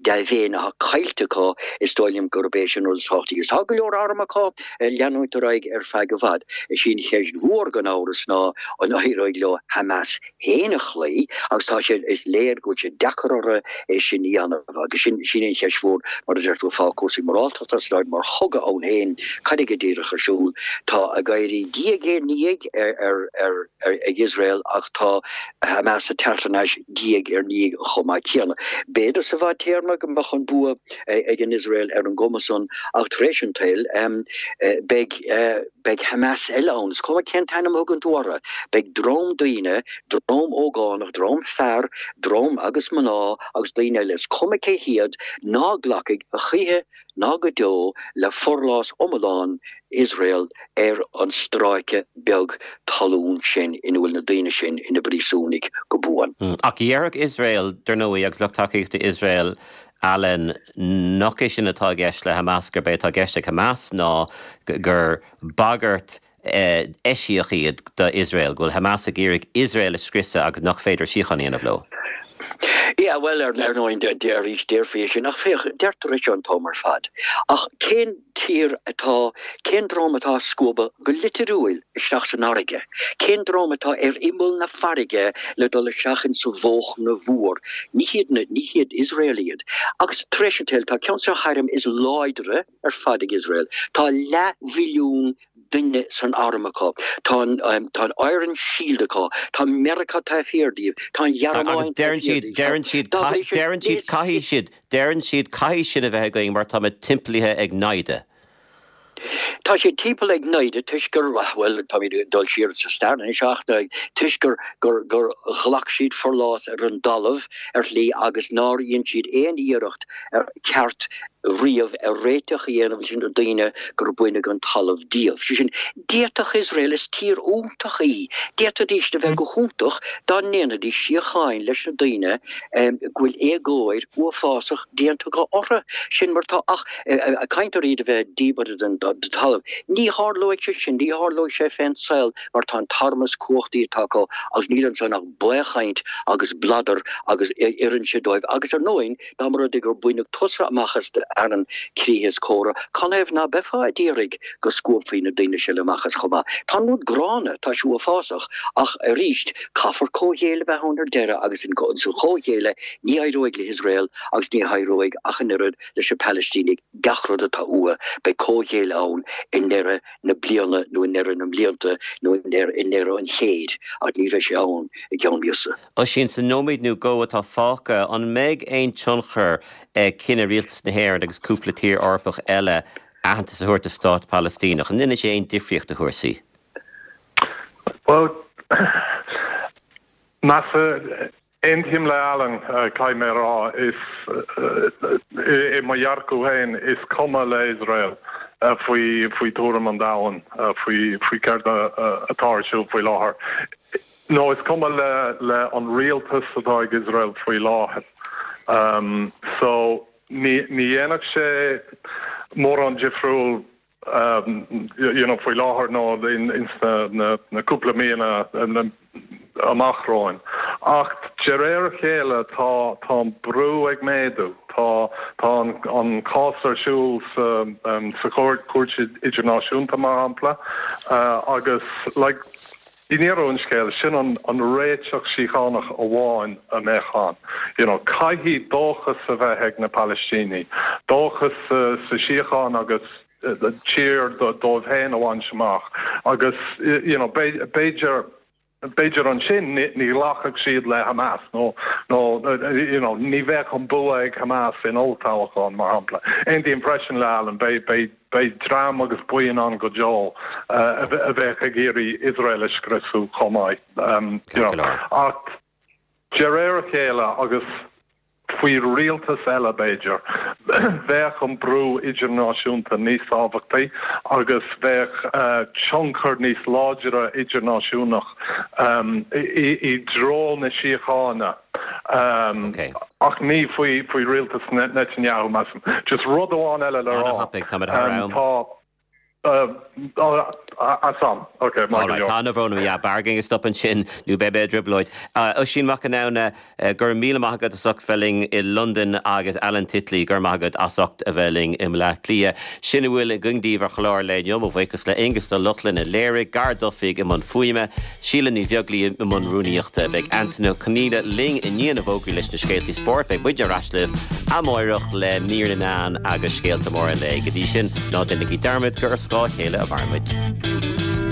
dea-mhéin atá caillte acu, is dóigh liom gurb é sin an rud is tábhachtaí. Agus tá go leor arm acu leanúint ar aghaidh ar feadh i bhfad. Is í an cheist mhór gan amhras ná an éireoidh leo Hamas féin a chloí agus tá sé, is léir go bhfuil sé deacair orthu é sin a dhéanamh agus sin, sin an cheist mhór mar a deir tú, fág cúrsaí moráltachta ar side mar chogadh ann féin, cad é go díreach ar siúl? Tá ag éirí diaidh ar ndiaidh ar, ar, ar, ar, ag Iosrael ach tá Hamas ag teacht thar n-ais diaidh ar ndiaidh chomh maith céanna. B'fhéidir sa bhfadtéarma go mbeadh an bua ag an Iosrael ar an gcuma san ach tar éis an tsaoil beidh, beidh Hamas eile ann, is cuma cén t-ainm a thugann tú orthu, beidh dream daoine, dream ógánach, dream fear, dream agus mná agus daoine eile, is cuma cé hiad, ná glacfaidh a choíche ná go deo le forlás iomlán Iosrael ar an stráice beag talún sin ina bhfuil na daoine sin ina bpríosúnaigh go buan. Ach dhéarfadh Iosrael, dar ndóigh, agus lucht tacaíochta Iosrael, Alan, nach é sin atá i gceist le Hamas, gurb é atá i gceist ag Hamas ná gur bagairt eisiach iad do Iosrael, go bhfuil Hamas ag iarraidh Iosrael a scriosadh agus nach féidir síocháin a dhéanamh leo. Yeah, bhuel, ar ndóigh, arís déarfaí é sin, ach féach, deirtear é seo an t-am ar fad. Ach cén tír atá, cén dream atá ag scuabadh go litriúil isteach san fharraige? Cén dream atá ar imeall na farraige le dul isteach insa bhóchna mhór? Ní hiad na, ní hiad Iosrael iad. Agus tar éis an tsaoil, tá ceann de na hairm is láidre ar fad ag Iosrael. Tá leathmhilliún duine san arm acu. Tá an, tá an Iron Shield acu. Tá Meiriceá taobh thiar díobh. Tá an Ghearmáin taobh thiar díobh. Deireann siad, deireann siad, caithfidh siad, deireann siad, caithfidh sin a bheith againn mar táimid timpeallaithe ag naimhde. Tá siad timpeall ag naimhde toisc gur, bhuel, táimid ag dul siar sa stair anois ach toisc gur, gur, gur ghlac siad forlás ar an dtalamh ar shlí agus nár dhein siad aon iarracht ar ceart riamh ar réiteach a dhéanamh leis na daoine gur baineadh an talamh díobh. Sé sin, d'fhéadfadh Iosrael, is tír iontach í, d'fhéadfaidís a bheith go hiontach dá ndéanfaidís síocháin leis na daoine go bhfuil éagóir uafásach déanta acu orthu. Sin mar atá. Ach caint ar iad a bheith díbeartha den talamh, ní tharlóidh sé sin, ní tharlóidh sé fén saol mar tá an t-arm is cumhachtaí atá acu agus níl ansan ach baothchaint agus bladar agus oireann sé dóibh. Agus ar ndóigh, Dá mba rud é gur baineadh tusa amach as d'fhearann críche is córa, canathaobh ná beifeá a d'iarraidh go scuabfaí na daoine sin amach as chomh maith? Tá an rud gránna, tá sé uafásach, ach arís, caithfear comhghéilleadh a bheith ann ar deireadh agus insan chomhghéilleadh ní éireoidh le hIosrael agus ní héireoidh ach an oiread leis na Palaistínigh gach rud atá uathu, beidh comhghéilleadh ann i ndeireadh na bliana nó i ndeireadh na mblianta nó i ndeireadh an chéid ach ní bheidh sé ann i gceann míosa. Oisín, sa nóiméad nó dhó atá fágtha, an mbeidh aon tionchar ag cinneadh Rialtas na hÉireann agus cúpla tír Eorpach eile aitheantas a thabhairt do stát Palaistíneach? An ndéanfaidh sé aon difríocht do chúrsaí? Bhuel, meas. Aontaím le Alan, caithfidh mé a rá, is, i mo dhearcadh féin, is cuma le Iosrael faoi faoi tuairim an domhain faoi faoi céard atá ar siúl faoi láthair. Nó is cuma le le an rialtas atá ag Iosrael faoi láthair. So, ní ní dhéanfadh sé mórán difriúil you know, faoi láthair nó ins na cúpla míonna amach romhainn. Ach de réir a chéile tá tá an brú ag méadú, tá Tá tá an cás ar siúl sa sa chúirt idirnáisiúnta mar shampla agus like i ndeireadh an scéil sin an an réiteach síochánach amháin a mbeadh ann. You know, caithfidh dóchas a bheith ag na Palaistínigh, dóchas sa síocháin agus tír dóibh féin a bhaint amach agus you know, b'fhéidir b'fhéidir ansin ní ghlacfadh siad le Hamas nó nó you know, ní bheadh an bua ag Hamas in olltoghchán mar shampla. Aontaím freisin le Alan beidh beidh beidh dream agus buíon ann go deo uh, a bheadh ag iarraidh Iosrael a scriosadh chomh maith. Um, you know, ach de réir a chéile agus faoi rialtas eile b'fhéidir. Bheadh an brú idirnáisiúnta níos tábhachtaí agus bheadh uh, tionchar níos láidre idirnáisiúnach um, i, i dtreo na síochána. Um, okay. Ach ní faoi faoi rialtas Netanyahu measaim. Just rud amháin eile le rá. Um, tá As am ok Tá na bhróna b'fhearr dúinn stop ansin nó beidh i dtrioblóid. Oisín Mac Conamhna go raibh míle maith agat as ucht bheith linn i Londain agus Alan Titley go raibh maith agat as ucht a bheith linn i mBleá Cliath. Sin a bhfuil againn daoibh ar chlár an lae inniu mo bhuíochas le Aonghus Ó Lochlainn a léirigh Gar Dufaigh i mbun fuaime, Síle Ní Bheaglaoich i mbun rúnaíochta beidh Antain Ó Conghaile linn i ndiaidh na bhfógraí leis na scéaltaí spóirt beidh muid ar ais libh amárach le mír na meán agus scéalta móra an lae go dtí sin ná déanaigí dearmad gur ar scáth a chéile a mhairimid.